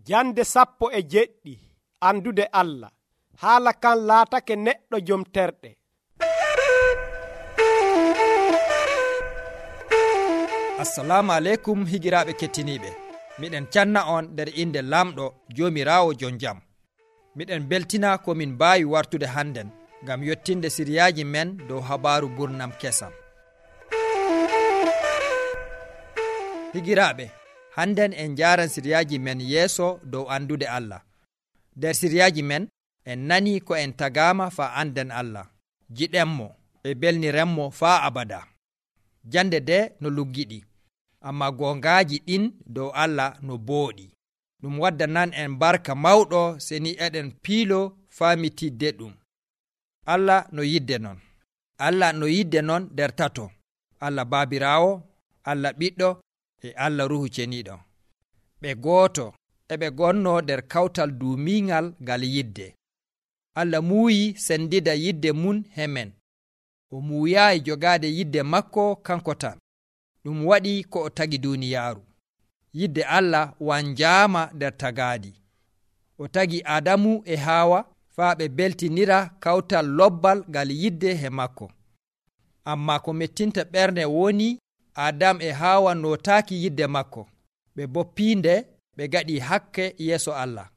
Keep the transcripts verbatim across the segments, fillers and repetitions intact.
Jande sappo e jeɗɗi andude Allah. Haala kan laatake neɗɗo jom terɗe. Assalamu aleykum higiraaɓe kettiniiɓe. Miɗen canna on nder inde lamɗo Joomiraawo jon jam. Miɗen beltina ko min mbaawi wartude hannden ngam yottinde siriyaaji men dow habaaru burnam kesam. Higiraaɓe, hannden en njaaran siriyaaji men yeeso dow andude Allah. Nder siriyaaji men en nanii ko en tagaama faa anden Allah, jiɗenmo e belnirenmo faa abada. Jande de no luggiɗi, amma gongaaji ɗin dow Allah no booɗi. Ɗum waddanan en barka mawɗo seni eɗen piilo faamitidde ɗum. Allah no yidde non. Allah no yidde non nder tato: Allah Baabiraawo, Allah Ɓiɗɗo e Allah Ruhu Ceniiɗo. Ɓe gooto eɓe gonno nder kawtal duumiiŋal ngal yidde. Allah muuyi sendida yidde mun hemen. O muuyaayi jogaade yidde makko kanko tan. Ɗum waɗi ko o tagi duuniyaaru. Yidde Allah wanjaama nder tagaadi. O tagi Adamu e Haawa faa ɓe beltinira kawtal lobbal ngal yidde he makko. Amma ko mettinta ɓernde woni Adam e Haawa nootaaki yidde makko. Ɓe boppiinde ɓe gaɗi hakke yeeso Allah.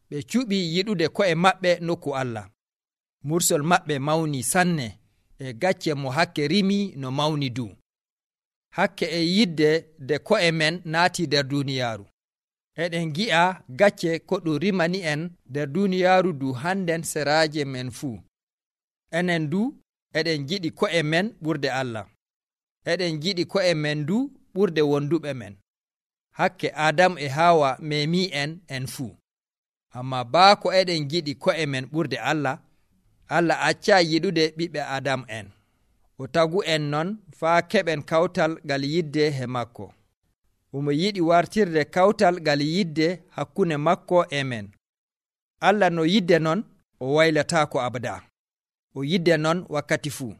Ɓe cuɓi yiɗude ko'e maɓɓe nokku Allah. Mursol maɓɓe mawni sanne e gacce mo hakke rimi no mawni du. Hakke e yidde de ko'e men naati nder duuniyaaru. Eɗen gi'a gacce ko ɗum rimani en nder duuniyaaru du hannden seraaje men fuu. Enen du eɗen jiɗi ko'e men ɓurde Allah. Eɗen jiɗi ko'e men du ɓurde wonduɓe men. Hakke Adam e Haawa memi en en fuu. Amma baako eɗen jiɗi ko'e men ɓurde Allah, Allah accaa yiɗude ɓiɓɓe Adam en. O tagu en non faa keɓen kawtal ngal yidde he makko. Omo yiɗi wartirde kawtal ngal yidde hakkunde makko e men. Allah no yidde non o waylataako abada. O yidde non wakkati fuu.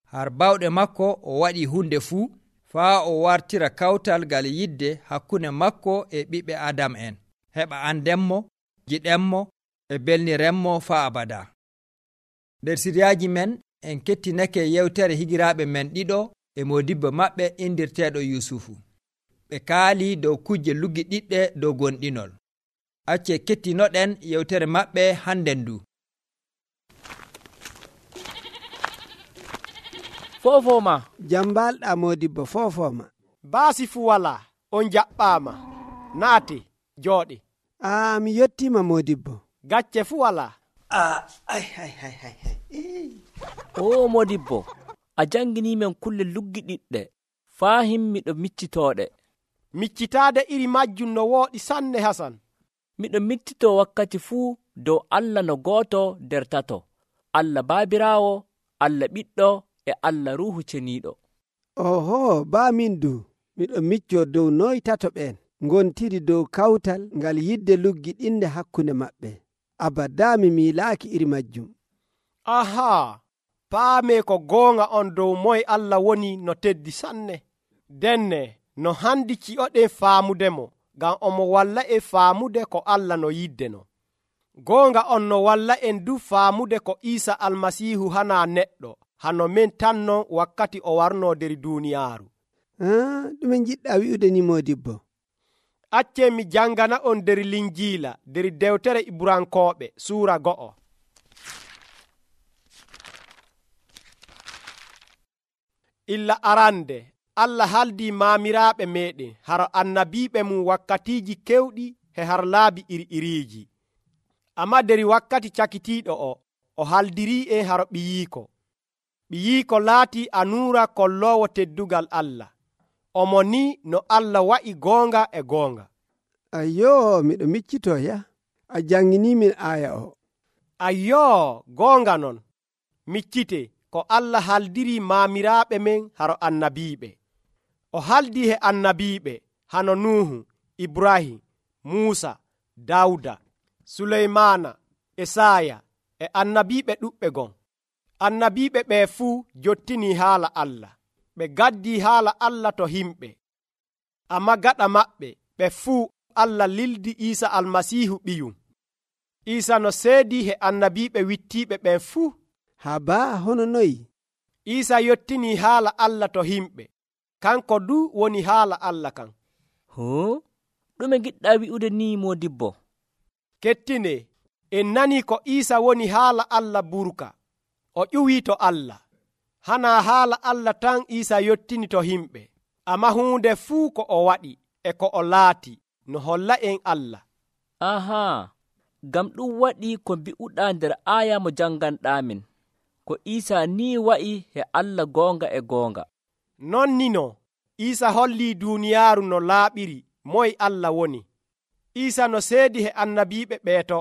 Har bawɗe makko o waɗi hunde fuu faa o wartira kawtal ngal yidde hakkunde makko e ɓiɓɓe Adam en, heɓa andenmo, jiɗenmo e belnirenmo faa abada. Nder siriyaaji men en kettinake yewtere higiraaɓe men ɗiɗo e modibbo maɓɓe indirteeɗo Yusufu. Ɓe kaali dow kujje luggi ɗiɗɗe dow gonɗinol. Acce kettinoɗen yewtere maɓɓe hannden du. Fofoma jambalɗa modibbo fofoma. Baasi fu wala, on jaɓɓaama. Naate, jooɗe. Ah, mi yettima modibbo. Gacce fu wala. Ah, ay, ay, ay, ay, ay. O modibbo, a jangini men kulle luggi ɗiɗɗe, faa himmiɗo miccitooɗe. Miccitaade iri majjum no wooɗi sanne Hasan. Miɗo miccito wakkati fuu dow Allah no gooto nder tato: Allah Baabiraawo, Allah Ɓiɗɗo e Allah Ruhu Ceniiɗo. Oho, baa min du miɗo micco dow noy tato ɓen ngontiri dow kawtal ngal yidde luggi ɗinde hakkunde maɓɓe. Abada mi miilaaki iri majjum. Aha, paame ko goonga on dow moye Allah woni no teddi sanne. Denne no handi ci'oɗen faamudemo, ngam omo walla e faamude ko Allah no yiddeno. Goonga on no walla en du faamude ko Iisa Almasiihu hana neɗɗo, hano men tan non wakkati o warno der duuniyaaru. Ah, ɗume jiɗɗa wi'ude ni modibbo? Acce mi jangana on der Linjiila, der dewtere Ibrankooɓe suura go'o. Illa arande Allah haldi maamiraaɓe meɗen haro annabiiɓe mum wakkatiiji kewɗi he har laabi iri-iriiji. Amma der wakkati cakitiiɗo o, o haldirii en haro ɓiyiiko. Ɓiyiiko laati anuura kolloowo teddugal Allah. Omo ni no Allah wa'i goonga e goonga. Ayyo, miɗo miccito ya. A janginimin aya o. Ayyo, goonga non. Miccite ko Allah haldiri maamiraaɓe men haro annabiiɓe. O haldi he annabiiɓe hano Nuhu, Ibrahim, Muusa, Dawda, Suleymana, Esaya e annabiiɓe ɗuɓɓe gon. Annabiiɓe ɓe fuu jottini haala Allah. Ɓe gaddi haala Allah to himɓe. Amma gaɗa maɓɓe ɓe fuu Allah lildi Iisa almasiihu ɓiyum. Iisa no seedi he annabiiɓe wittiiɓe ɓen fuu. haa baa hono noyi? Iisa yottinii haala Allah to himɓe. Kanko du woni haala Allah kan. hoo ɗume giɗɗaa wi'ude ni moodibbo? Kettine, en nanii ko Iisa woni haala Allah burka. O ƴuwii to Allah. Hanaa haala Allah tan Iisa yottini to himɓe, ammaa huunde fuu ko o waɗi e ko o laati no holla en Allah. ahaa ngam ɗum waɗi ko mbi'uɗaa nder aaya mo jannganɗaamin, ko Iisa ni wa'i he Allah goonga e goonga. Non ni no Iisa hollii duuniyaaru no laaɓiri moye Allah woni. Iisa no seedi he annabiiɓe ɓeeto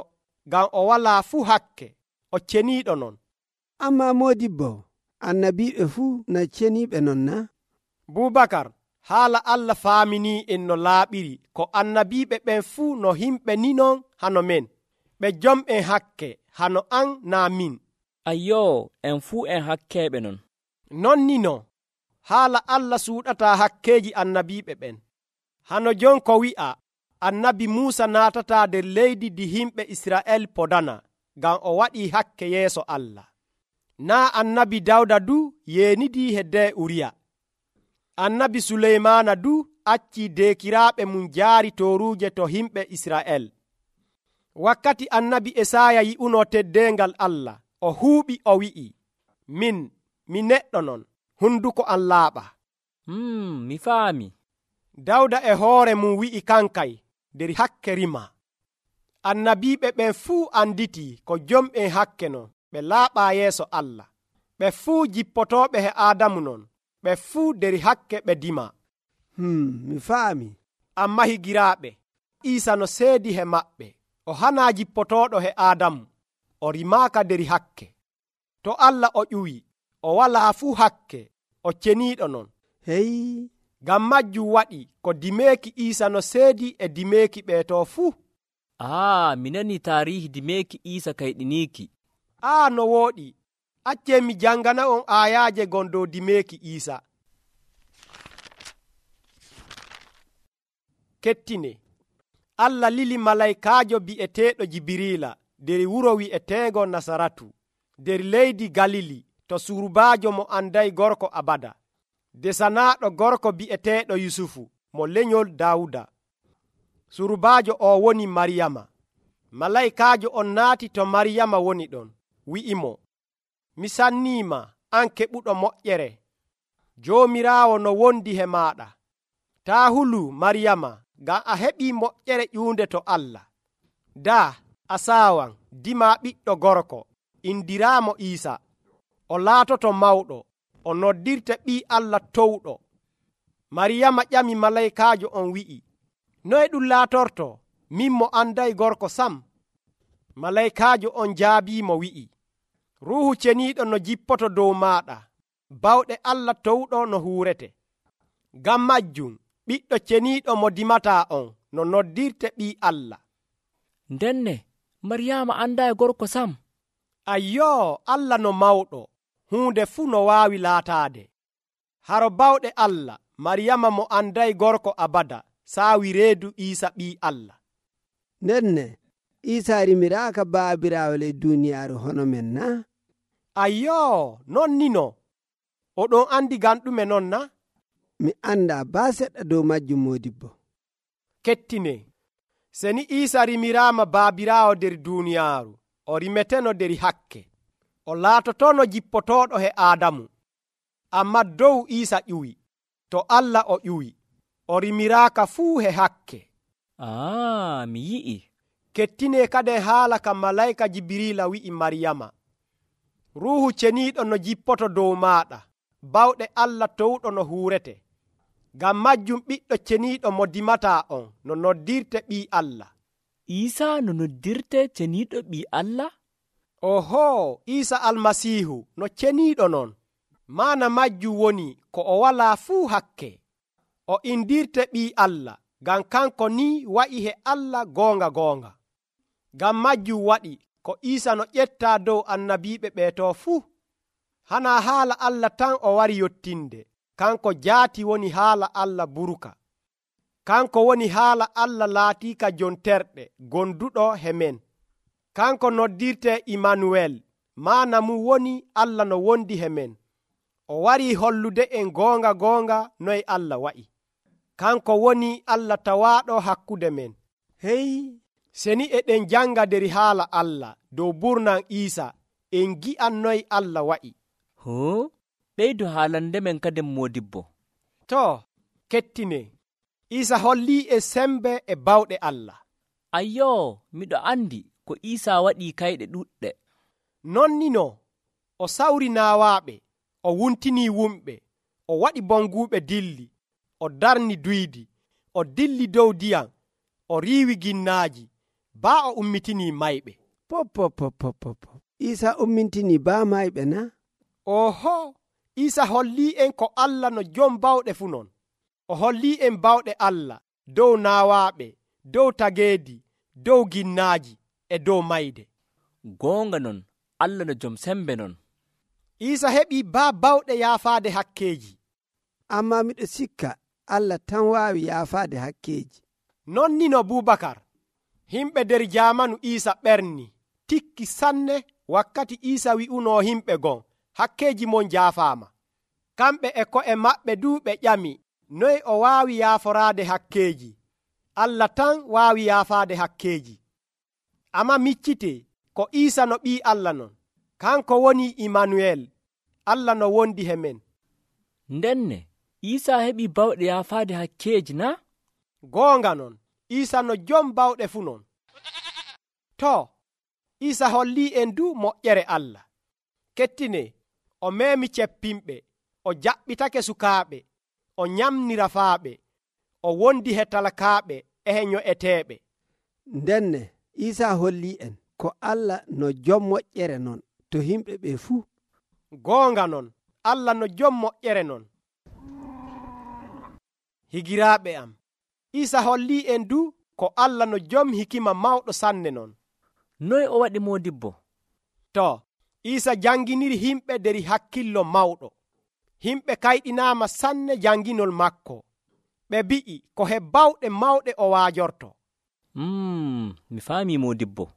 ngam o walaa fuu hakke, o ceniiɗo non. Ammaa moodibbo, annabiiɓe fuu na ceniiɓe non na? Bubakar, haala Allah faaminii en no laaɓiri ko annabiiɓe ɓen fuu no himɓe ni non hano men, ɓe jom'en hakke hano an naa min. Ayyoo, en fuu en hakkeeɓe non. Non ni no haala Allah suuɗataa hakkeeji annabiiɓe ɓen. Hano jon ko wi'a annabi Muusa naatataa nder leydi di himɓe Israa'el podana ngam o waɗii hakke yeeso Allah. Naa annabi Dawda du yeenidii hedde Uriya. Annabi Suleymaana du accii deekiraaɓe mum jaari tooruuje to himɓe Israa'el. Wakkati annabi Esaaya yi'unoo teddeengal Allah, o huuɓi o wi'i, min mi neɗɗo non, hunduko am laaɓa. Hmm, mi faami. Dawda e hoore mum wi'i kankay nder hakke rima. Annabiiɓe ɓen fuu anditii ko jom'en hakke non, ɓe laaɓaa yeeso Allah. Ɓe fuu jippotooɓe he Aadamu non, ɓe fuu nder hakke ɓe dima. Hmm, mi faami. Amma higiraaɓe, Iisa no seedi he maɓɓe, o hanaa jippotooɗo he Aadamu, o rimaaka nder hakke. To Allah o ƴuwi, o walaa fuu hakke, o ceniiɗo non. Hey, ngam majjum waɗi ko dimeeki Iisa no seedi e dimeeki ɓeeto fuu. aa mi nani taarihi dimeeki Iisa kayɗiniiki. Aa no wooɗi, accee mi jangana on aayaaje gon dow dimeeki Iisa. Kettine, Allah lili malaykaajo bi'eteeɗo Jibiriila nder wuro wi'eteego Nasaratu, nder leydi Galili, to surbaajo mo anday gorko abada, desanaaɗo gorko bi'eteeɗo Yusufu mo lenyol Daawuda. Surbaajo o woni Maryama. Malaykaajo on naati to Maryama woni ɗon, wi'imo, mi sanniima an keɓuɗo moƴƴere, Joomiraawo no wondi he maaɗa. Taa hulu Maryama, ngam a heɓii moƴƴere ƴuunde to Allah. Daa a saawan dimaa ɓiɗɗo gorko, indiraamo Iisa. O laatoto mawɗo, o noddirte ɓii Allah towɗo. Maryama ƴami malaykaajo on wi'i, noye ɗum laatorto, min mo anday gorko sam? Malaykaajo on jaabiimo wi'i, Ruuhu ceniiɗo no jippoto dow maaɗa, bawɗe Allah towɗo no huurete. Ngam majjum ɓiɗɗo ceniiɗo mo dimataa on no noddirte ɓii Allah. Ndenne Maryaama andaa gorko sam. Ayyoo, Allah no mawɗo, huunde fuu no waawi laataade. Haro bawɗe Allah, Maryama mo anday gorko abada saawi reedu Iisa ɓii Allah. ndenne Iisa rimiraaka baabiraawo ley duuniyaaru hono men na? Ayyoo, non ni no. Oɗon andi ngam ɗume non na? Mi anndaa baa seɗɗa dow majjum moodibbo. Kettine, seni Iisa rimiraama baabiraawo nder duuniyaaru, o rimeteno nder hakke, o laatotono jippotooɗo he Aadamu. Amma dow Iisa ƴuwi, to Allah o ƴuwi, o rimiraaka fuu he hakke. aa mi yi'i. Kettine kade haala ka malayka Jibiriila wi'i Maryama, Ruuhu ceniiɗo no jippoto dow maaɗa, bawɗe Allah towɗo no huurete. Ngam majjum ɓiɗɗo ceniiɗo mo dimataa on no noddirte ɓii Allah. Iisa no noddirte ceniiɗo ɓii Allah? Ohoo, Iisa almasiihu no ceniiɗo non. Maana majjum woni ko o walaa fuu hakke. O indirte ɓii Allah, ngam kanko ni wa'i he Allah goonga goonga. Ngam majjum waɗi ko Iisa no ƴettaa dow annabiiɓe ɓeeto fuu. Hanaa haala Allah tan o wari yottinde, kanko jaati woni haala Allah buruka. kanko woni haala Allah laatiika jon terɗe gonduɗo he men. Kanko noddirte Imanuwel, maana mum woni Allah no wondi he men. O warii hollude en goonga goonga noye Allah wa'i. Kanko woni Allah tawaaɗo hakkude men. hey Seni eɗen janga der haala Allah dow burnan Iisa, en gi'an noye Allah wa'i. hoo ɓeydu haalande men kadin modibbo. To, kettine, Iisa hollii e sembe e bawɗe Allah. Ayyoo, miɗo andi ko Iisa waɗii kayɗe ɗuɗɗe. Nonnino, o sawri naawaaɓe, o wuntinii wumɓe, o waɗi bonguuɓe dilli, o darni duydi, o dilli dow ndiyam, o riiwi ginnaaji, baa o ummitinii mayɓe. pop pop pop pop pop Iisa ummintini baa mayɓe na? Oho, Iisa hollii en ko Allah no jom bawɗe fuu non. O hollii en bawɗe Allah dow naawaaɓe, dow tageedi, dow ginnaaji e dow mayde. Goonga non, Allah no jom sembe non. Iisa heɓii baa bawɗe yaafaade hakkeeji. Amma miɗo sikka Allah tan waawi yaafaade hakkeeji. Non ni no Bubakar, himɓe der jaamanu Iisa ɓerni, tikki sanne wakkati Iisa wi'unoo himɓe gon, hakkeeji mon jaafaama. Kamɓe e ko'e maɓɓe duu ɓe ƴami, noye o waawi yaaforaade hakkeeji? Allah tan waawi yaafaade hakkeeji. Amma miccitee ko Iisa no ɓii Allah non, kanko woni Imanuwel, Allah no wondi he men. Ndenne, Iisa heɓii bawɗe yaafaade hakkeeji na? Goonga non, Iisa no jom bawɗe fuu non. To, Iisa hollii en du moƴƴere Allah. Kettine, o meemi ceppimɓe, o jaɓɓitake sukaaɓe, o nyamni rafaaɓe, o wondi he talakaaɓe e he nyo'eteeɓe. Ndenne Iisa hollii en ko Allah no jom moƴƴere non to himɓe ɓe fuu. Goonga non, Allah no jom moƴƴere non. Higiraaɓe am, Iisa hollii en du ko Allah no jom hikima mawɗo sanne non. Noye o waɗi modibbo? To, Iisa janginiri himɓe der hakkillo mawɗo. Himɓe kayɗinaama sanne janginol makko. Ɓe bi'i ko he bawɗe mawɗe o waajorto. Mm, mi faami modibbo.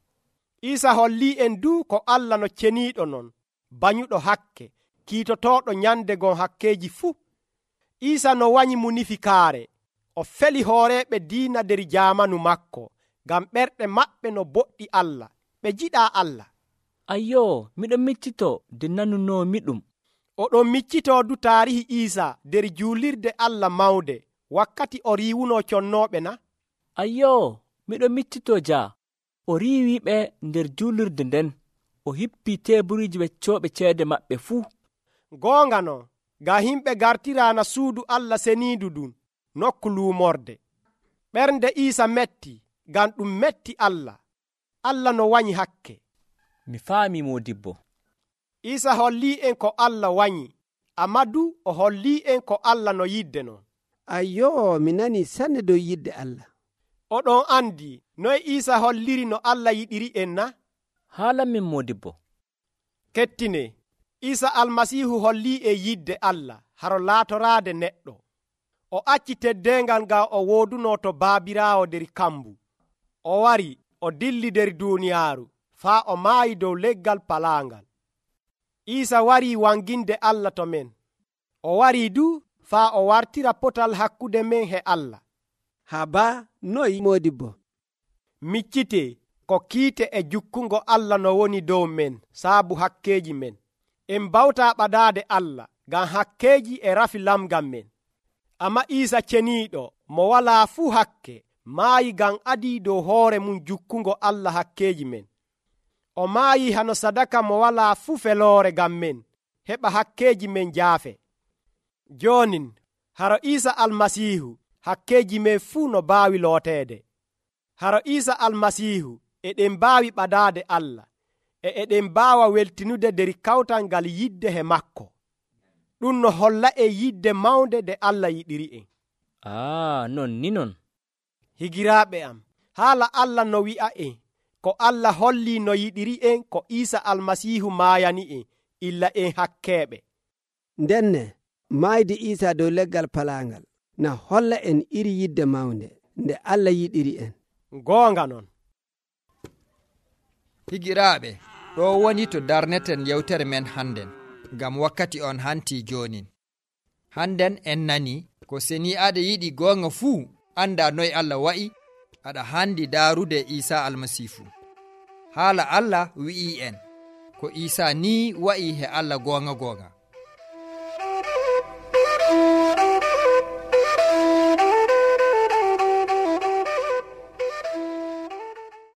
Iisa hollii en du ko Allah no ceniiɗo non, banyuɗo hakke, kiitotooɗo nyande gon hakkeeji fuu. Iisa no wanyi munifikaare, o feli hooreeɓe diina der jaamanu makko, ngam ɓerɗe maɓɓe no boɗɗi Allah, ɓe jiɗaa Allah. Ayyoo, miɗon miccitoo de nanunoomi ɗum. Oɗon miccitoo du taarihi Iisa der juulirde Allah mawde, wakkati o riiwunoo connooɓe na? Ayyoo, miɗon miccitoo jaa, o riiwiiɓe nder juulirde nden, o hippii teeburiji weccooɓe ceede maɓɓe fuu. Goonga non, ngam himɓe gartiraana suudu Allah seniidu ɗum, nokku luumorde. Ɓernde Iisa metti, ngam ɗum metti Allah. Allah no wanyi hakke. Mi faami modibbo. Iisa hollii en ko Allah wanyi, amma du o hollii en ko Allah no yidde non. Ayyoo, mi nanii sanne dow yidde Allah. Oɗon andi noye Iisa holliri no Allah yiɗiri en na? Haalan min modibbo. Kettine, Iisa almasiihu hollii e yidde Allah haro laatoraade neɗɗo. O acci teddeengal ngam o woodunoo to baabiraawo der kambu. O wari, o dilli der duuniyaaru, faa o maayi dow leggal palaangal. Iisa warii wanginde Allah to men. O warii du faa o wartira potal hakkude men he Allah. Haba noyi modibbo? Miccitee ko kiite e jukkungo Allah no woni dow men saabu hakkeeji men. En bawtaa ɓadaade Allah ngam hakkeeji e rafi lamgam men. Amma Iisa ceniiɗo mo walaa fuu hakke maayi ngam adii dow hoore mum jukkungo Allah hakkeeji men. O maayi hano sadaka mo walaa fuu feloore ngam men, heɓa hakkeeji men jaafe. Joonin, haro Iisa almasiihu, hakkeeji men fuu no baawi looteede. Haro Iisa almasiihu, eɗen mbaawi ɓadaade Allah, e eɗen mbaawa weltinude der kawtal ngal yidde he makko. Ɗum no holla e yidde mawnde de Allah yiɗiri en. Ah, non ni non. Higiraaɓe am, haala Allah no wi'a en, ko Allah hollii no yiɗiri en ko Iisa almasiihu maayani en, illa en hakkeeɓe. Ndenne, maayde Iisa dow leggal palaangal, na holla en iri yidde mawnde nde Allah yiɗiri en. goonga non. higiraaɓe, ɗo woni to darneten yewtere men hannden, ngam wakkati on hanti jonin. Hannden en nani ko seni aɗa yiɗi goonga fuu anda noy Allah wa'i, aɗa handi daarude Isa almasiihu. Haala Allah wi'i en ko Isa ni wa'i he Allah goonga goonga.